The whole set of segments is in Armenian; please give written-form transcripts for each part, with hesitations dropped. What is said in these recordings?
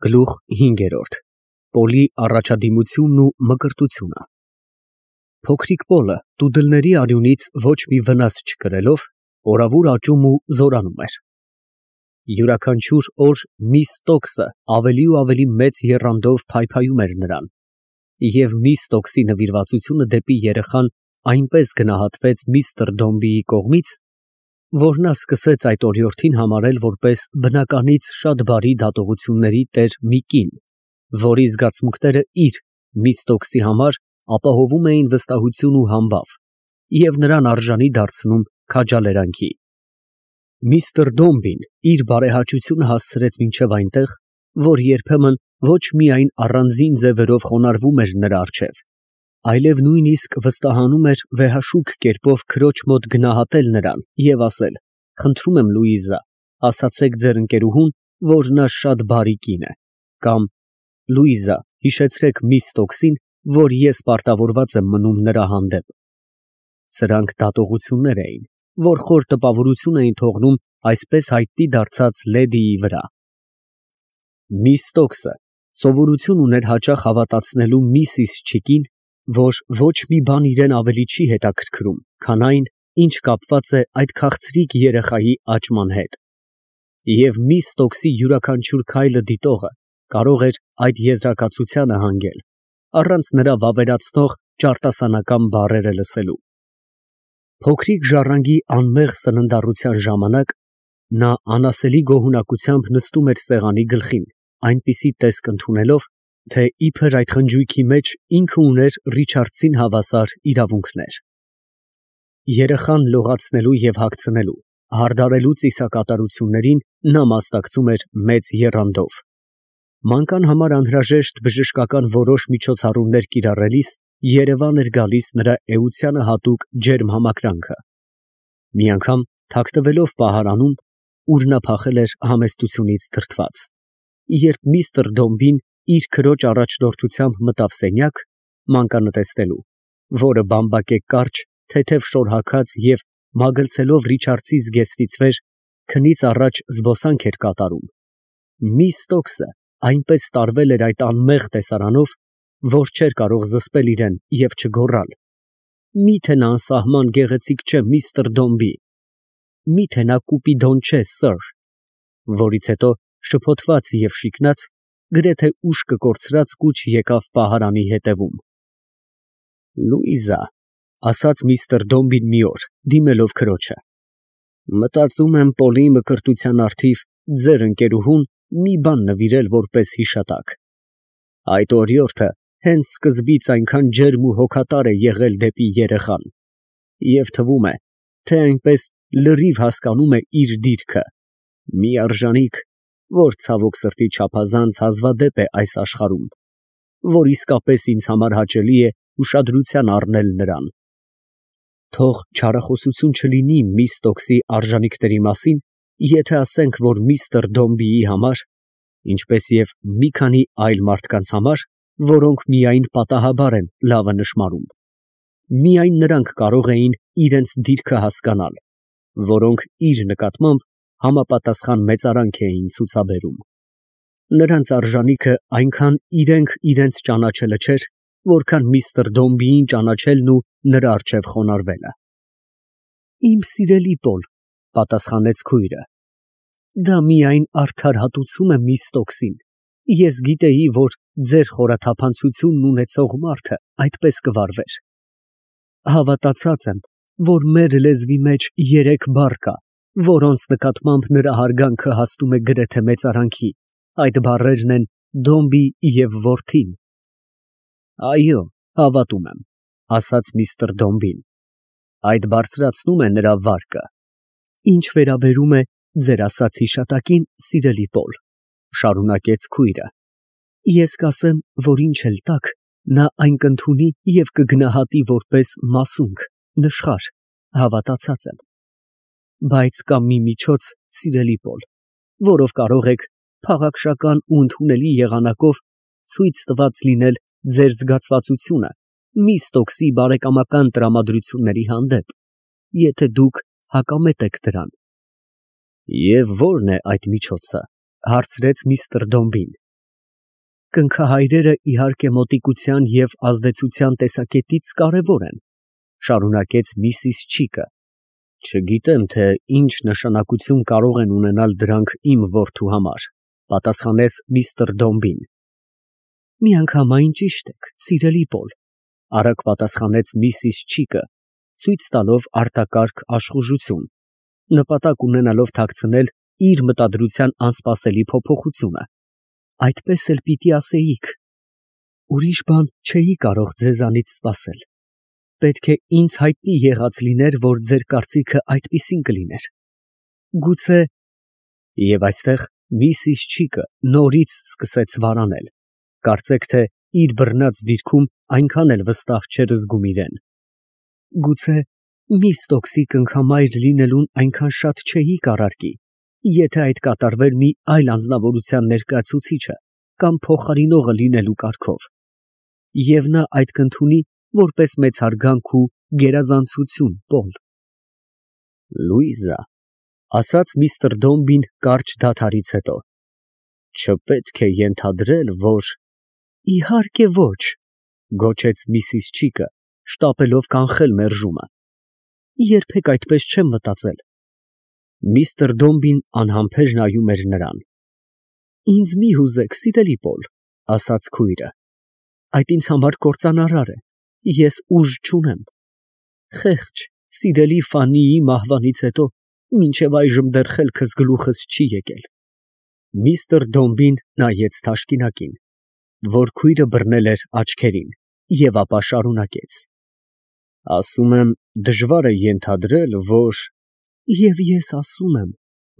Գլուխ 5 Պոլի առաջադիմությունն ու մկրտությունը Փոքրիկ Պոլը տուդլների արյունից ոչ մի վնաս չկրելով, օրավուր աճում ու զորանում էր։ Յուրաքանչյուր օր միս Ստոքսը ավելի ու ավելի մեծ եռանդով փայփայում էր նրան, և միս Ստոքսի նվիրվածությունը դեպի երեխան այնպես գնահատվեց միստր Դոմբիի կողմից, որ նա սկսեց այդ օրիորդին համարել որպես բնականից շատ բարի դատողությունների տեր մի կին, որի զգացմունքները իր՝ միս Ստոքսի համար ապահովում էին վստահություն ու համբավ և նրան արժանի դարձնում քաջալերանքի։ Միստր Դոմբին իր բարեհաճությունը հասցրեց մինչև այնտեղ, որ երբեմն ոչ միայն առանձին ձևերով խոնարհվում էր նրա առջև, այլև նույնիսկ վստահանում էր վեհաշուք կերպով քրոջ մոտ գնահատել նրան և ասել. «Խնդրում եմ, Լուիզա, ասացեք ձեր ընկերուհուն, որ նա շատ բարի կին է», կամ «Լուիզա, հիշեցրեք միս Ստոքսին, որ ես պարտավորված եմ մնում նրա հանդեպ»։ Սրանք դատողություններ էին, որ խոր տպավորություն էին թողնում այսպես հայտնի դարձած լեդիի վրա։ Միս Ստոքսը սովորություն ուներ հաճախ հավատացնելու միսիս Չիկին, որ ոչ մի բան իրեն ավելի չի հետաքրքրում, քան այն, ինչ կապված է այդ քաղցրիկ երեխայի աճման հետ, և միս Ստոքսի յուրաքանչյուր քայլը դիտողը կարող էր այդ եզրակացությանը հանգել, առանց նրա վավերացնող ճարտասանական բառերը լսելու։ Փոքրիկ ժառանգի անմեղ սննդառության ժամանակ նա անասելի գոհունակությամբ նստում էր սեղանի գլխին, այնպիսի տեսք ընդունելով, թե իբր այդ խնջույքի մեջ ինքը ուներ Ռիչարդսին հավասար իրավունքներ։ Երեխան լողացնելու և հագցնելու, հարդարելու ծիսակատարություններին նա մասնակցում էր մեծ եռանդով։ Մանկան համար անհրաժեշտ բժշկական որոշ միջոցառումներ կիրառելիս երևան էր գալիս նրա էությանը հատուկ ջերմ համակրանքը։ Մի անգամ թաքնվելով պահարանում, ուր նա փախել էր համեստությունից դրդված, երբ միստր Դոմբին իր քրոջ առաջնորդությամբ մտավ սենյակ, մանկանը տեսնելու, որը բամբակե կարճ, թեթև շոր հագած և մագլցելով Ռիչարդսի զգեստից վեր քնից առաջ զբոսանք էր կատարում, միս Ստոքսը այնպես տարվել էր այդ անմեղ տեսարանով, որ չէր կարող զսպել իրեն և չգոռալ. «Մի՞թե նա անսահման գեղեցիկ չէ, միստր Դոմբի, մի՞թե նա կուպիդոն չէ, սըր», որից հետո շփոթված և շիկնած, գրեթե ուշքը կորցրած կուչ եկավ պահարանի ետևում։ «Լուիզա», ֊ ասաց միստր Դոմբին մի օր, դիմելով քրոջը, ֊ մտածում եմ Պոլի մկրտության առթիվ ձեր ընկերուհուն մի բան նվիրել որպես հիշատակ։ Այդ օրիորդը հենց սկզբից այնքան ջերմ ու հոգատար է եղել դեպի երեխան, և թվում է, թե այնպես լրիվ հասկանում է իր դիրքը, մի արժանիք, որ ցավոք սրտի չափազանց հազվադեպ է այս աշխարհում, որ իսկապես ինձ համար հաճելի է ուշադրության առնել նրան։ Թող չարախոսություն չլինի միս Ստոքսի արժանիքների մասին, եթե ասենք, որ միստր Դոմբիի համար, ինչպես և մի քանի այլ մարդկանց համար, որոնք միայն պատահաբար են լավը նշմարում, միայն նրանք կարող էին իրենց դիրքը հասկանալ, որոնք իր նկատմամբ համապատասխան մեծարանք էին ցուցաբերում։ Նրանց արժանիքը այնքան իրենք իրենց ճանաչելը չէր, որքան միստր Դոմբիին ճանաչելն ու նրա առջև խոնարհվելը։ «Իմ սիրելի Պոլ, ֊ պատասխանեց քույրը, ֊ դա միայն արդար հատուցում է միս Ստոքսին, ես գիտեի, որ ձեր խորաթափանցությունն ունեցող մարդը այդպես կվարվեր։ Հավատացած եմ, որ մեր լեզվի մեջ 3 բառ կա, որոնց նկատմամբ նրա հարգանքը հասնում է գրեթե մեծարանքի, այդ բառերն են Դոմբի և որդին»։ «Այո, հավատում եմ», ֊ ասաց միստր Դոմբին, ֊ այդ բարձրացնում է նրա վարկը։ «Ինչ վերաբերում է ձեր ասած հիշատակին, սիրելի Պոլ, ֊ շարունակեց քույրը, ֊ ես կասեմ, որ ինչ էլ տաք, նա այն կընդունի և կգնահատի որպես մասունք, նշխար, հավատացած եմ։ Բայց կա մի միջոց, սիրելի Պոլ, որով կարող եք փաղաքշական ու ընդունելի եղանակով ցույց տված լինել ձեր զգացվածությունը միս Ստոքսի բարեկամական տրամադրությունների հանդեպ, եթե դուք հակամետ եք դրան»։ «Եվ ո՞րն է այդ միջոցը, ֊ հարցրեց միստր Դոմբին։ Կնքահայրերը իհարկե մոտիկության և ազդեցության տեսակետից կարևոր են, շարունակեց միսիս Չիկը։ Չգիտեմ, թե ինչ նշանակություն կարող են ունենալ դրանք իմ որդու համար, պատասխանեց միստր Դոմբին։ Միանգամայն ճիշտ եք, սիրելի Պոլ, արագ պատասխանեց միսիս Չիկը, ցույց տալով արտակարգ աշխուժություն, նպատակ ունենալով թաքցնել իր մտադրության անսպասելի փոփոխությունը։ Այդպես էլ պիտի ասեիք։ Ուրիշ բան չէի կարող ձեզանից սպասել։ Պետք է ինձ հայտնի եղած լիներ, որ ձեր կարծիքը այդպիսին կլիներ։ Գուցե… Եվ այստեղ միսիս Չիկը նորից սկսեց վարանել, կարծեք թե իր բռնած դիրքում այնքան էլ վստահ չէր զգում իրեն։ Գուցե միս Ստոքսի կնքամայր լինելուն այնքան շատ չէի կառարկի, եթե այդ կատարվեր մի այլ անձնավորության ներկայացուցիչը կամ փոխարինողը լինելու կարգով, և նա այդ կընդունի որպես մեծ հարգանք ու գերազանցություն, Պոլ։ Լուիզա, ասաց միստր Դոմբին կարճ դադարից հետո, չպետք է ենթադրել, որ… Իհարկե ոչ, գոչեց միսիս Չիկը, շտապելով կանխել մերժումը։ Երբեք այդպես չեմ մտածել։ Միստր Դոմբին անհամբեր նայում էր նրան։ Ինձ մի հուզեք, սիրելի Պոլ, ասաց քույրը, այդ ինձ համար կործանարար է, ես ուժ չունեմ։ Խեղճ, սիրելի Ֆաննիի մահվանից հետո մինչև այժմ դեռ խելքս գլուխս չի եկել։ Միստր Դոմբին նայեց թաշկինակին, որ քույրը բռնել էր աչքերին, և ապա շարունակեց. Ասում եմ, դժվար է ենթադրել, որ… Եվ ես ասում եմ,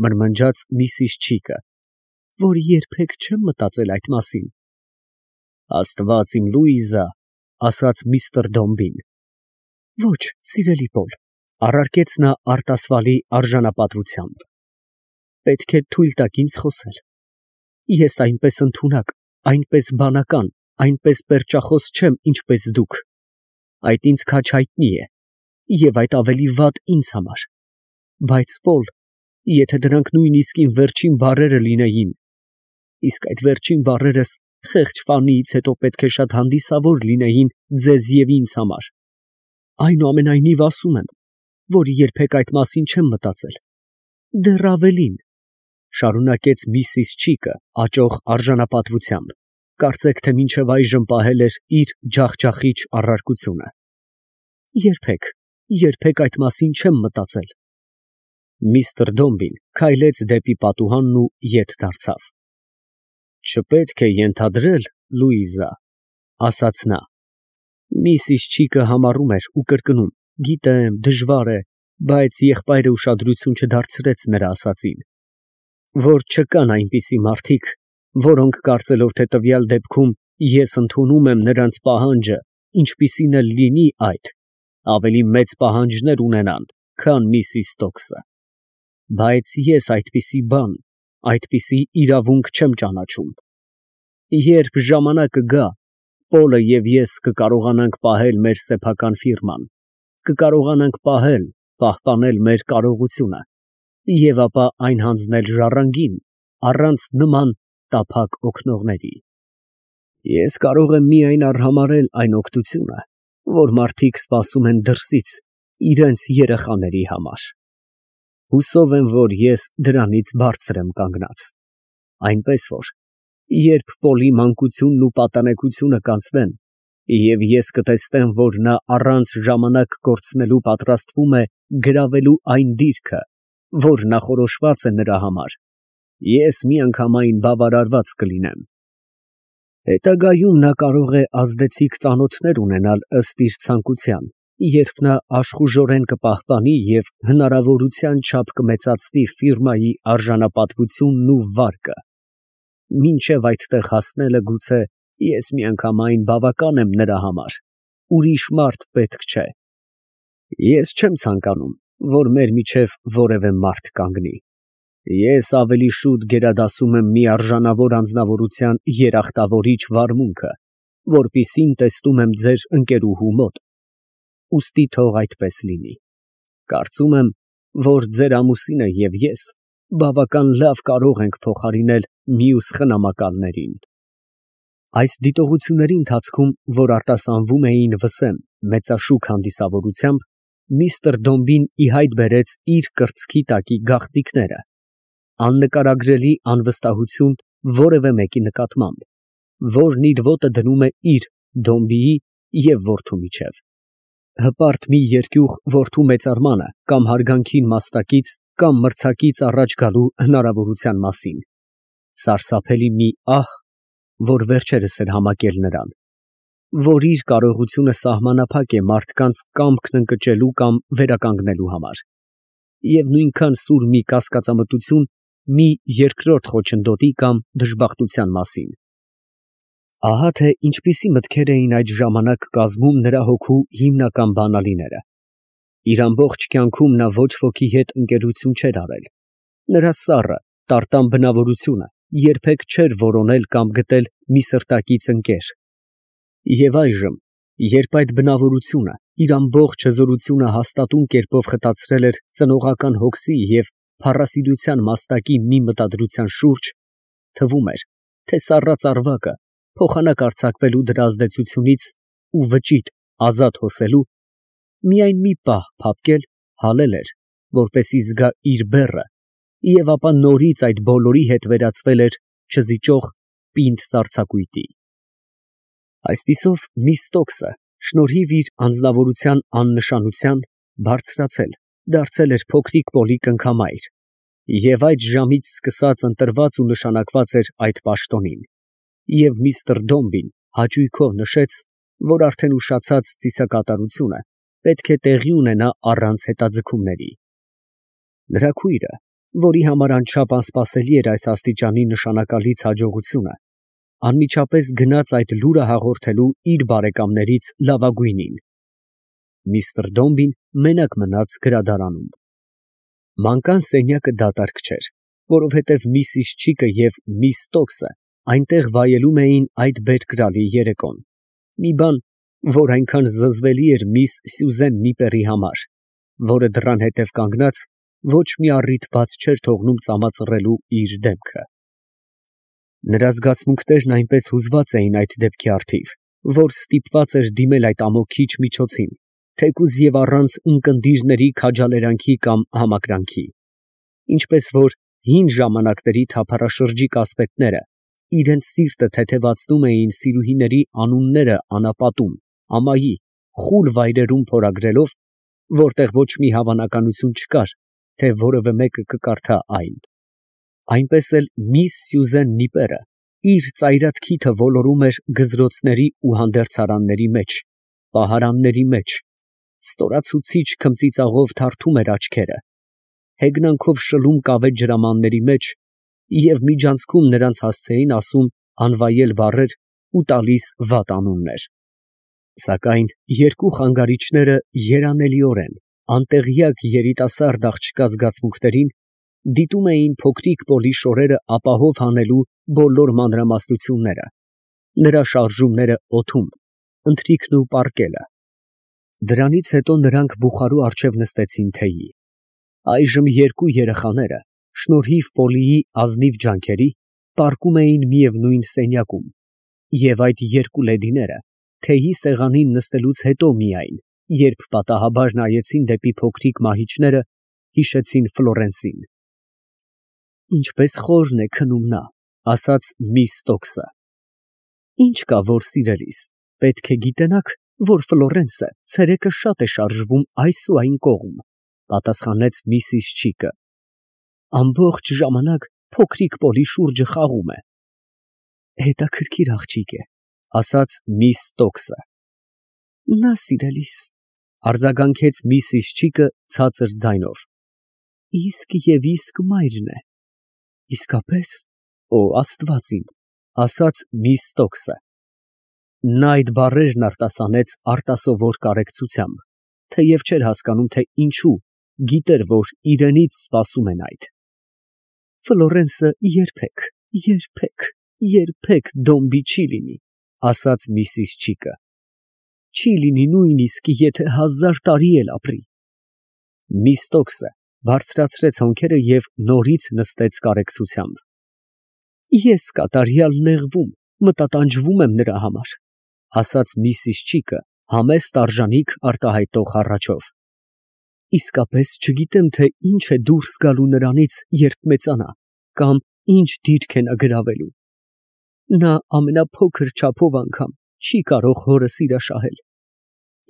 մրմնջաց միսիս Չիկը, որ երբեք չեմ մտածել այդ մասին։ Աստված իմ, Լուիզա, ասաց միստր Դոմբին։ Ոչ, սիրելի Պոլ, առարկեց նա արտասվալի արժանապատվությամբ։ Պետք է թույլ տաք ինձ խոսել։ Ես այնպես ընդունակ, այնպես բանական, այնպես պերճախոս չեմ, ինչպես դուք։ Այդ ինձ քաջ հայտնի է, և այդ ավելի վատ ինձ համար։ Բայց Պոլ, եթե դրանք նույնիսկ իմ վերջին բառերը լինեին, իսկ այդ վերջին բառերս խեղճ Ֆաննիից հետո պետք է շատ հանդիսավոր լինեին ձեզ և ինձ համար, այնուամենայնիվ ասում եմ, որ երբեք այդ մասին չեմ մտածել։ Դեռ ավելին, շարունակեց միսիս Չիկը աճող արժանապատվությամբ, կարծեք թե մինչև այժմ պահել էր իր ջախջախիչ առարկությունը։ Երբեք այդ մասին չեմ մտածել։ Միստր Դոմբին քայլեց դեպի պատուհանն ու ետ դարձավ։ Չպետք է ենթադրել, Լուիզա, ասաց նա։ Միսիս Չիկը համառում էր ու կրկնում. Գիտեմ, դժվար է, բայց եղբայրը ուշադրություն չդարձրեց նրա ասածին, որ չկան այնպիսի մարդիկ, որոնք կարծելով, թե տվյալ դեպքում ես ընդունում եմ նրանց պահանջը, ինչպիսին էլ լինի այդ, ավելի մեծ պահանջներ ունենան, քան միսիս Ստոքսը։ Բայց ես այդպիսի բան, այդպիսի իրավունք չեմ ճանաչում։ Երբ ժամանակը գա, Պոլը և ես կկարողանանք պահել մեր սեփական ֆիրման, կկարողանանք պահպանել մեր կարողությունը և ապա այն հանձնել ժառանգին, առանց նման տափակ օգնողների։ Ես կարող եմ միայն արհամարհել այն օգնությունը, որ մարդիկ սպասում են դրսից իրենց երեխաների համար։ Հուսով եմ, որ ես դրանից բարձր եմ կանգնած, այնպես որ, երբ Պոլի մանկությունն ու պատանեկությունը կանցնեն, և ես կտեսնեմ, որ նա առանց ժամանակ կորցնելու պատրաստվում է գրավելու այն դիրքը, որ նախորոշված է նրա համար, ես միանգամայն բավարարված կլինեմ։ Հետագայում նա կարող է ազդեցիկ ծանոթներ ունենալ ըստ իր ցանկության, երբ նա աշխուժորեն կպահպանի և հնարավորության չափ կմեծացնի ֆիրմայի արժանապատվությունն ու վարկը։ Մինչև այդտեղ հասնելը գուցե ես միանգամայն բավական եմ նրա համար, ուրիշ մարդ պետք չէ։ Ես չեմ ցանկանում, որ մեր միջև որևէ մարդ կանգնի։ Ես ավելի շուտ գերադասում եմ մի արժանավոր անձնավորության երախտավորիչ վարմունքը, որպիսին տեսնում եմ ձեր ընկերուհու մոտ, ուստի թող այդպես լինի։ Կարծում եմ, որ ձեր ամուսինը և ես բավական լավ կարող ենք փոխարինել մյուս խնամակալներին։ Այս դիտողությունների ընթացքում, որ արտասանվում էին վսեմ մեծաշուք հանդիսավորությամբ, միստր Դոմբին ի հայտ բերեց իր կրծքի տակի գաղտնիքները, աննկարագրելի անվստահություն որևէ մեկի նկատմամբ, որն իր ոտը դնում է իր Դոմբիի և որդու միջև, հպարտ մի երկյուղ որդու մեծարմանը կամ հարգանքին մաստակից կամ մրցակից առաջ գալու հնարավորության մասին, սարսափելի մի ահ, որ վերջերս էր համակել նրան, որ իր կարողությունը սահմանափակ է մարդկանց կամքն ընկճելու կամ վերականգնելու համար, և նույնքան սուր մի կասկածամտություն մի երկրորդ խոչընդոտի կամ դժբախտության մասին։ Ահա թե ինչպիսի մտքեր էին այդ ժամանակ կազմում նրա հոգու հիմնական բանալիները։ Իր ամբողջ կյանքում նա ոչ ոքի հետ ընկերություն չէր արել։ Նրա սառը, տարտան բնավորությունը երբեք չէր որոնել կամ գտել մի սրտակից ընկեր։ Եվ այժմ, երբ այդ բնավորությունը իր ամբողջ հզորությունը հաստատուն կերպով խտացրել էր ծնողական հոգսի և փառասիրության մաստակի մի մտադրության շուրջ, թվում էր, թե սառած ավագը փոխանակ արձակվելու դրա ազդեցությունից ու վճիտ ազատ հոսելու, միայն մի պահ փափկել, հալել էր, որպեսզի զգա իր բեռը, և ապա նորից այդ բոլորի հետ վերածվել էր չզիջող պինդ սառցակույտի։ Այսպիսով միս Ստոքսը, շնորհիվ իր անձնավորության աննշանության, բարձրացել, դարձել էր փոքրիկ Պոլի կնքամայր, և այդ ժամից սկսած ընտրված ու նշանակված էր այդ պաշտոնին, և միստր Դոմբին հաճույքով նշեց, որ արդեն ուշացած ծիսակատարությունը պետք է տեղի ունենա առանց հետաձգումների։ Նրա քույրը, որի համար անչափ անսպասելի էր այս աստիճանի նշանակալից հաջողությունը, անմիջապես գնաց այդ լուրը հաղորդելու իր բարեկամներից լավագույնին։ Միստր Դոմբին մենակ մնաց գրադարանում։ Մանկան սենյակը դատարկ չէր, որովհետև միսիս Չիկը և միս Ստոքսը այնտեղ վայելում էին այդ բերկրալի երեկոն, մի բան, որ այնքան զզվելի էր միս Սյուզեն Նիպերի համար, որը դռան հետև կանգնած ոչ մի առիթ բաց չէր թողնում ծամածռելու իր դեմքը։ Նրա զգացմունքներն այնպես հուզված էին այդ դեպքի առթիվ, որ ստիպված էր դիմել այդ ամոքիչ միջոցին, թեկուզ և առանց ունկնդիրների քաջալերանքի կամ համակրանքի, ինչպես որ հին ժամանակների թափառաշրջիկ ասպետները իրենց սիրտը թեթևացնում էին սիրուհիների անունները անապատում, ամայի, խուլ վայրերում փորագրելով, որտեղ ոչ մի հավանականություն չկար, թե որևէ մեկը կկարդա այն։ Այնպես էլ միս Սյուզեն Նիպերը իր ծայրատ քիթը ոլորում էր գզրոցների ու հանդերձարանների մեջ, պահարանների մեջ, ստորացուցիչ քմծիծաղով թարթում էր աչքերը, հեգնանքով շլում կավե ջրամանների մեջ և միջանցքում նրանց հասցեին ասում անվայել բառեր ու տալիս վատ անուններ։ Սակայն երկու խանգարիչները երանելիորեն անտեղյակ երիտասարդ աղջկա զգացմունքներին դիտում էին փոքրիկ Պոլի շորերը ապահով հանելու բոլոր մանրամասնությունները, նրա շարժումները օդում, ընթրիքն ու պառկելը։ Դրանից հետո նրանք բուխարու առջև նստեցին թեյի։ Այժմ երկու երեխաները, շնորհիվ Պոլիի ազնիվ ջանքերի, պառկում էին միևնույն սենյակում, և այդ երկու լեդիները թեյի սեղանին նստելուց հետո միայն, երբ պատահաբար նայեցին դեպի փոքրիկ մահիճները, հիշեցին Ֆլորենսին։ Ինչպես խորն է քնում նա, ասաց միս Ստոքսը։ Ինչ կա, որ սիրելիս, պետք է գիտենաք, որ Ֆլորենսը ցերեկը շատ է շարժվում այս ու այն կողմ, պատասխանեց միսիս Չիկը։ Ամբողջ ժամանակ փոքրիկ Պոլի շուրջը խաղում է։ Հետաքրքիր աղջիկ է, ասաց միս Ստոքսը։ Նա սիրելիս, արձագանքեց միսիս Չիկը ցածր ձայնով։ Իսկ և իսկ մայրն է։ Իսկապես, օ Աստված իմ, ասաց միս Ստոքսը։ Նա այդ բառերն արտասանեց արտասովոր կարեկցությամբ, թեև չէր հասկանում, թե ինչու, գիտեր, որ իրենից սպասում են այդ։ Ֆլորենսը երբեք Դոմբի չի լինի, ասաց միսիս Չիկը։ Չի լինի նույնիսկ եթե 1000 տարի էլ ապրի։ Միս Ստոքսը բարձրացրեց հոնքերը և նորից նստեց կարեկցությամբ։ Ես կատարյալ նեղվում, մտատանջվում եմ նրա համար, ասաց Միսիս Չիկը համեստ արժանիք արտահայտող հառաչով։ Իսկապես չգիտեմ, թե ինչ է դուրս գալու նրանից, երբ մեծանա, կամ ինչ դիրք է նա գրավելու։ Նա ամենափոքր չափով անգամ չի կարող հորը սիրաշահել։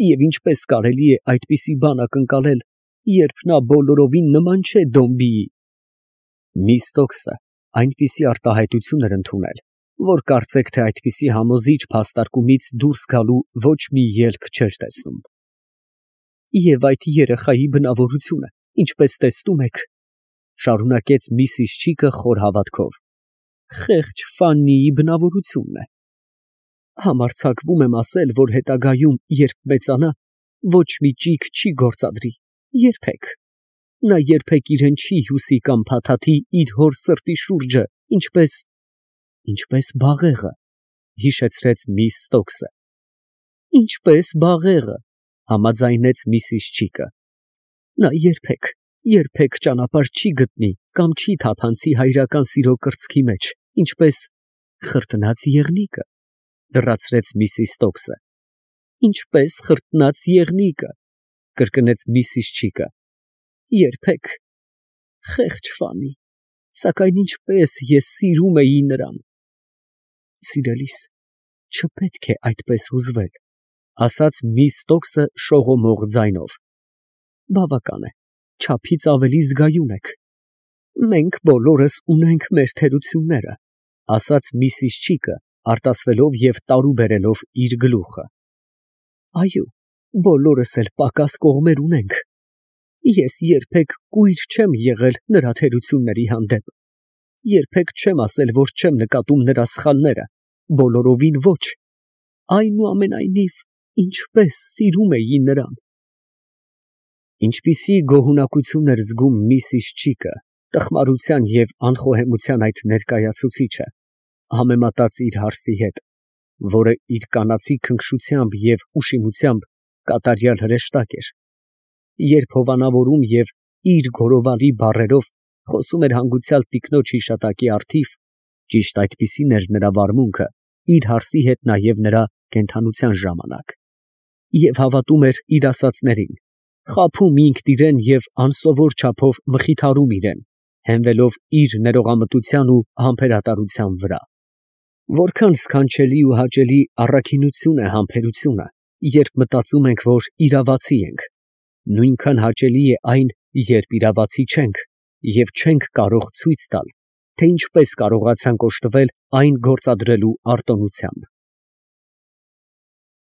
Եվ ինչպես կարելի է այդպիսի բան ակնկալել, երբ նա բոլորովին նման չէ Դոմբիի։ Միս Ստոքսը այնպիսի արտահայտություն էր ընդունել, որ կարծեք թե այդպիսի համոզիչ փաստարկումից դուրս գալու ոչ մի ելք չէր տեսնում։ Եվ այդ երեխայի բնավորությունը, ինչպես տեսնում եք, շարունակեց Միսիս Չիկը խոր հավատքով, խեղճ Ֆաննիի բնավորությունն է։ Համարձակվում եմ ասել, որ հետագայում, երբ մեծանա, ոչ մի ճիգ չի գործադրի, երբեք։ Նա երբեք իրեն չի հյուսի կամ փաթաթի իր հոր սրտի շուրջը, ինչպես բաղեղը, հիշեցրեց միս Ստոքսը։ Ինչպես բաղեղը, համաձայնեց Միսիս Չիկը։ Նա երբեք ճանապարհ չի գտնի կամ չի թափանցի հայրական սիրո կրծքի մեջ, ինչպես խրտնած եղնիկը, լրացրեց Միսիս Ստոքսը։ Ինչպես խրտնած եղնիկը, կրկնեց Միսիս Չիկը։ Երբեք, խեղճ Ֆանի, սակայն ինչպես ես սիրում էի նրան։ Սիրելիս, չպետք է այդպես հուզվել, ասաց միս Ստոքսը շողոմող ձայնով։ Բավական է, չափից ավելի զգայուն եք։ Մենք բոլորս ունենք մեր թերությունները, ասաց Միսիս Չիկը, արտասվելով և տարու բերելով իր գլուխը։ Այո, բոլորս էլ պակաս կողմեր ունենք։ Ես երբեք կույր չեմ եղել նրա թերությունների հանդեպ։ Երբեք չեմ ասել, որ չեմ նկատում նրա սխալները, բոլորովին ոչ։ Այնուամենայնիվ, ինչպես սիրում էի նրան։ Ինչպիսի գոհունակություն էր զգում Միսիս Չիկը, տխմարության և անխոհեմության այդ ներկայացուցիչը, համեմատած իր հարսի հետ, որը իր կանացի քնքշությամբ և ուշիմությամբ կատարյալ հրեշտակ էր, երբ հովանավորում և իր գորովալի բառերով խոսում էր հանգուցյալ տիկնոջ հիշատակի առթիվ, ճիշտ այդպիսին էր նրա վարմունքը իր հարսի հետ նաև նրա կենդանության ժամանակ, և հավատում էր իր ասածներին, խաբում ինքն իրեն և անսովոր չափով մխիթարում իրեն, հենվելով իր ներողամտության ու համբերատարության վրա։ Որքան սքանչելի ու հաճելի առաքինություն է համբերությունը, երբ մտածում ենք, որ իրավացի ենք, նույնքան հաճելի է այն, երբ իրավացի չենք և չենք կարող ցույց տալ, թե ինչպես կարողացանք օժտվել այն գործադրելու արտոնությամբ։